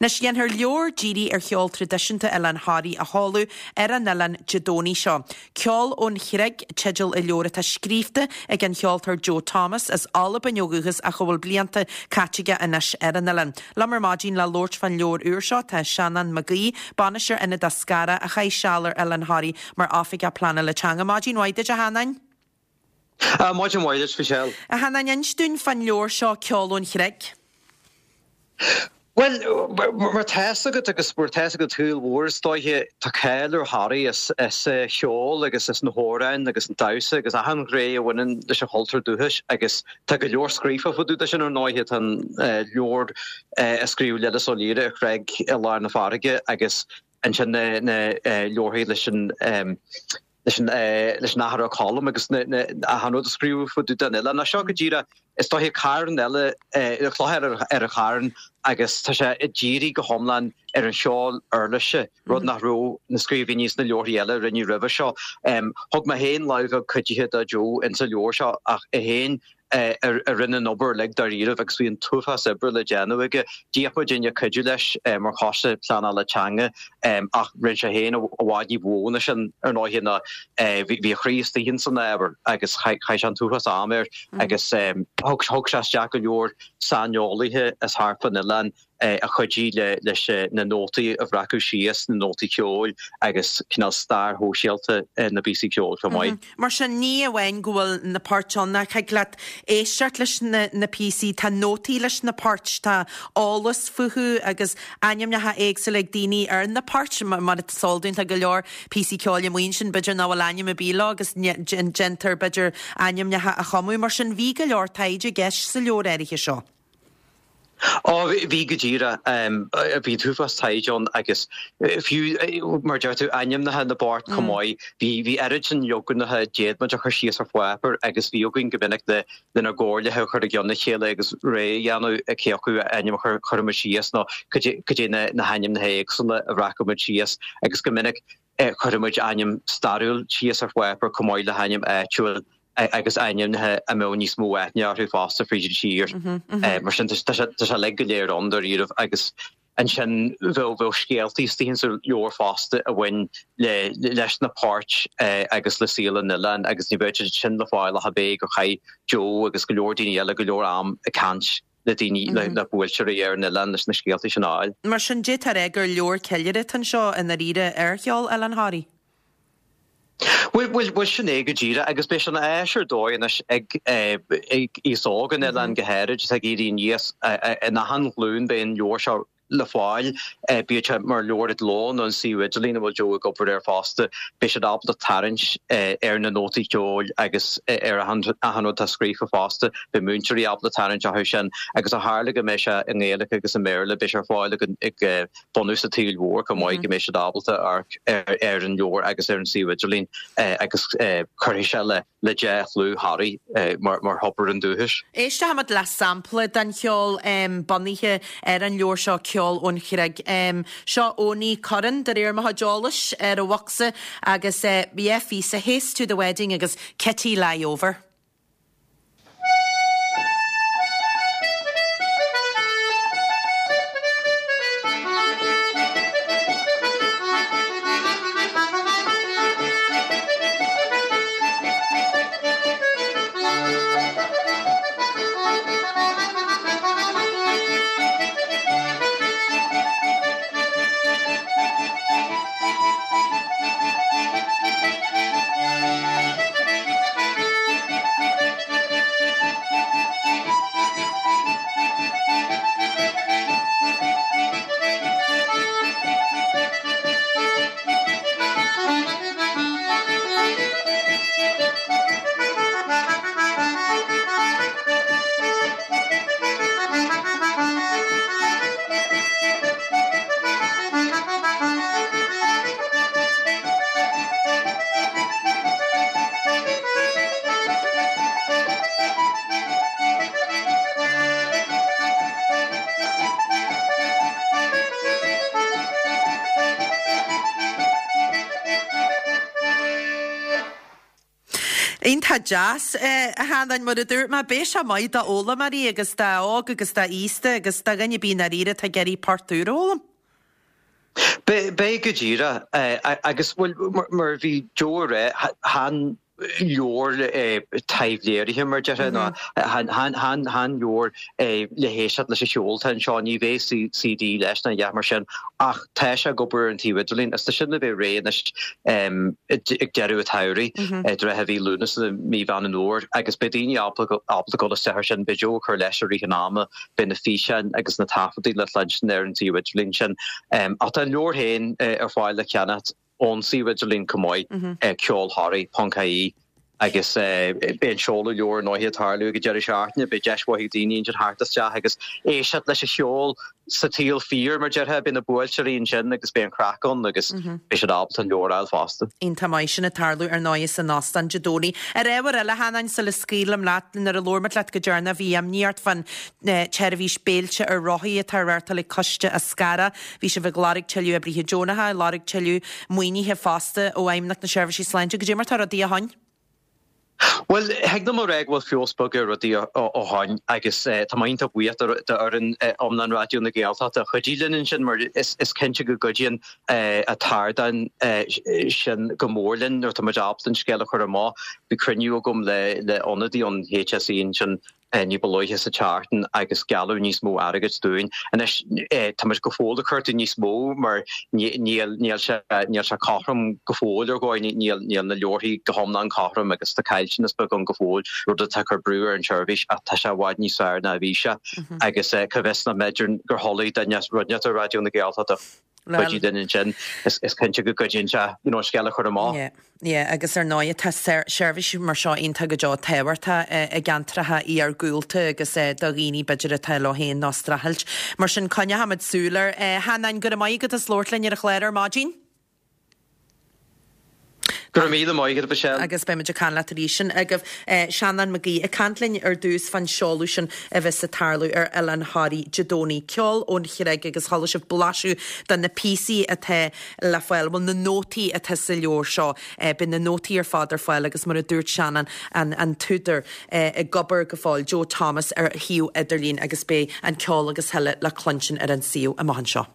Anois, déanfar leabhar dírithe ar cheol traidisiúnta Oileán Thoraí a sheoladh ar an oileán Dé Domhnaigh seo. Ceol ón Chreig teideal an leabhair atá scríofa ag an cheoltóir Joe Thomas, as Albain ó dhúchas ach a bhfuil blianta caite aige anois ar an oileán. Liom ar maidin le labhairt fán leabhar úr seo tá Seanán Mac Aoidh, Bainisteoir Ionad Eascarrach a chaith seal ar Oileán Thoraí mar Oifigeach Pleanála Teanga. Maidin mhaith duit a Sheanáin. Maidin mhaith duit, Michelle. A Sheanáin, inis dúinn fán leabhar seo Ceol ón Chreig. Bhuel, mar tá fhios agat agus mar tá fhios ag an tsaol mhór is dóiche, tá cáil ar Thoraigh as a cheol agus as na hamhráin agus an damhsa agus achan ghné a bhaineann leis an chultúr dúchais agus tá go leor scríofa fá dtaobh de sin ar ndóighe. Tá an leabhar a scríobh Lillis Ó Laoire, An Chreig i Lár na Farraige agus ansin na leabharthaí leis an leis an leis an Athair Ó Colm agus na na achan rud a scríobhadh fá dtaobh den oileán. Ach seo go díreach, is dóiche carn eile, cloch eile ar an charn agus tá sé ag díriú go hiomlán ar an cheol uirlise, rud nach raibh na scríbhinní sna leabharthaí eile a rinneadh roimhe seo. Thug mé féin lámh bheag cuidithe do Joe insa leabhar seo ach é féin a rinne an obair uilig dáiríribh agus bhí an t-uafás oibre le déanamh aige. D'iarr muidinne cuidiú leis mar choiste pleanála teanga ach rinne sé féin i bhfad ní ba mhó ná sin ar ndóighe ná bhí a chroí istigh ins an ábhar agus chaith sé an t-uafás am air agus thug sé isteach go leor saineolaithe as thart fán oileán a chuidigh leis na nótaí a bhreacadh síos, na nótaí ceoil agus cineál stair shóisialta na bpíosaí ceoil chomh maith. Mar sin, ní amháin go bhfuil na poirt ann ach thig leat éisteacht leis na píosaí, tá nótaí leis na poirt, tá eolas fúthu agus ainmneacha éagsúla ag daoine ar na poirt, mar is eol dúinn tá go leor píosaí ceoil amuigh ansin b'fhéidir nach bhfuil ainm ar bith leo agus déantar b'fhéidir ainmneacha a chumadh. Mar sin, bhí go leor taighde i gceist sa leabhar áirithe seo. Ó, bhí go díreach. Bhí an t-uafás taighde ann agus fiú, mar a deir tú, ainmneacha na bport chomh maith. Bhí, bhí oiread sin leaganacha a d'fhéad muid a chur síos ar pháipéar agus bhí againn go minic le lenár gcomhairlithe a chur i gcionn a chéile agus rogha a dhéanamh cé acu ainm a chuirfeadh muid síos nó cad é na hainmneacha éagsúla a bhreacfadh muid síos agus go minic Chuirfeadh muid ainm stairiúil síos ar pháipéar chomh maith le hainm áitiúil agus ainmneacha a mbeadh níos mó aithne orthu fosta fríd an tír. Mar sin tá sé uilig go léir ann dáiríribh agus ansin bheadh bheadh scéaltaí istigh insa leabhar fosta a bhain le leis na poirt agus le saol an oileáin agus ní bheadh siad sin le fáil ach ab é gur chaith Joe agus go leor daoine eile go leor am ag caint le daoine, le buailteoirí ar an oileán leis na scéaltaí sin a fháil. Mar sin, d'fhéadfá a rá gur leabhar ceiliúrtha atá anseo i ndáiríre ar cheol Oileán Thoraí. Bhuel, bhuel, bhuel, sin é go díreach agus beidh sé ina áis ar dóigh anois ag ag aos óg an oileáin go háirid atá ag éirí aníos in achan ghlúin beidh an leabhar seo le fáil, bíodh sé mar leabhar i gcló nó an suíomh idirlín a bhfuil Joe ag obair air fosta, beidh siad ábalta tarraingt ar na nótaí ceoil agus ar achan rud atá scríofa fosta. Beidh múinteoirí ábalta tarraingt orthu sin agus ó tharla go mbeidh sé i nGaeilge agus i mBéarla, beidh sé ar fáil ag bunús an tsaoil mhóir chomh maith, go mbeidh siad ábalta amharc ar an leabhar agus ar an suíomh idirlín agus cuirfidh sé le le dea-chlú Thoraí mar thobar an dúchais. Éistfimid le sampla den cheol bunaithe ar an leabhar seo, Ceol ón Chreig. Seo Owenie Curran, de réir mo chuid eolais, ar an bhocsa agus yeah, phíosa Haste to the Wedding agus Kitty Lie Over. Iontach deas, a Sheanáin, mar a dúirt mé, beidh sé maith d'fhoghlaimeoirí agus d'óg agus d'aosta agus do dhuine ar bith i ndáiríre atá ag iarraidh port úr a fhoghlaim. Beidh go díreach, agus bhuel, mar a bhí Joe a rá, chan leabhar taibhléirithe mar déarfá, nó chan leabhar le héisteacht leis an cheol atá anseo, ní bheidh CD leis ná a dhath mar sin, ach tá sé ag obair ar an tsuíomh idirlín agus tá sin le bheith réidh anois ag deireadh an tsamhraidh, i dtrátha mhí Lúnasa, mí Mheán an Fhómhair, agus beidh daoine ábalta dul isteach air sin, beidh Joe ag cur leis i rith an ama, beidh na físeáin agus na taifeadtaí le cluinstin ar an suíomh idirlín sin. Ach tá an leabhar féin ar fáil le ceannacht ón suíomh idirlín chomh maith, ceolthoraí ponc ie, agus beidh an seoladh leabhar ar ndóigh ag tarlú ag an deireadh seachtaine, beidh deis mhaith ag daoine ansin theacht isteach agus éisteacht leis an cheol sa tsaol fíor, mar déarfá, beidh na buailteoirí ansin agus beidh an chraic ann agus beidh siad ábalta an leabhar a fháil fosta. Iontach maith sin ag tarlú ar ndóigh san óstán Dé Domhnaigh. Ar ábhar eile, a Sheanáin, sula scaoilim leat, nuair a labhair muid leat go deireanach bhí imní ort fán tseirbhís béilte ar rothaí atá á reáchtáil ag Coiste Eascarrach. Bhí sibh ag lorg tuilleadh oibrithe deonacha, ag lorg tuilleadh maoinithe fosta ó Fheidhmeannacht na Seirbhísí Sláinte. Goidé mar tá rudaí ó shoin? Bhuel, thig liom a rá go bhfuil feabhas beag ar rudaí ó shoin agus tá mé iontach buíoch d'fhoireann iomlán Raidió na Gaeltachta a chuidigh linn ansin mar is cinnte go gcuidíonn an t-ardán sin go mór linn nuair atá muid ábalta an scéal a chur amach. Bhí cruinniú agam le ionadaí ón HSE ansin ní ba luaithe sa tseachtain agus gealladh níos mó airgid dúinn. Anois, tá muid go fóill ag cuartú níos mó mar níl níl sé níl sé cothrom go fóill ar dhóigh, níl níl na leabharthaí go hiomlán cothrom agus tá caillteanas beag ann go fóill, rud atá ag cur brú ar an tseirbhís ach tá sé i bhfad níos fearr ná a bhí sé agus cá bhfios nach mb'fhéidir gur thoiligh duine rud inteacht ar Raidió na Gaeltachta. Cuidiú linn ansin, is cinnte go gcuidíonn sé you know an scéal a chur amach. Yeah, yeah, agus ar ndóigh tá seirbhísí mar seo iontach go deo tábhachtach i gceantracha iargúlta agus do dhaoine b'fhéidir atá leo féin nó ag streachailt. Mar sin coinneochaimid súil air. A Sheanáin, go raibh maith agat as labhairt linn ar an chlár ar maidin. Go raibh míle maith agat, Michelle. Agus beidh muid ag caint leat arís. Sin agaibh Seanán Mac Aoidh ag caint linn ar dtús fán seoladh sin a bheas ag tarlú ar Oileán Thoraí Dé Domhnaigh. Ceol ón Chreig agus chuala sibh blaiseadh de na píosaí atá le fáil, bhuel na nótaí atá sa leabhar seo. Beidh na nótaí ar fad ar fáil agus mar a dúirt Seanán, an t-údar, ag obair go fóill, Joe Thomas, ar shuíomh idirlín agus beidh an ceol agus a thuilleadh le cluinstin ar an suíomh amach anseo.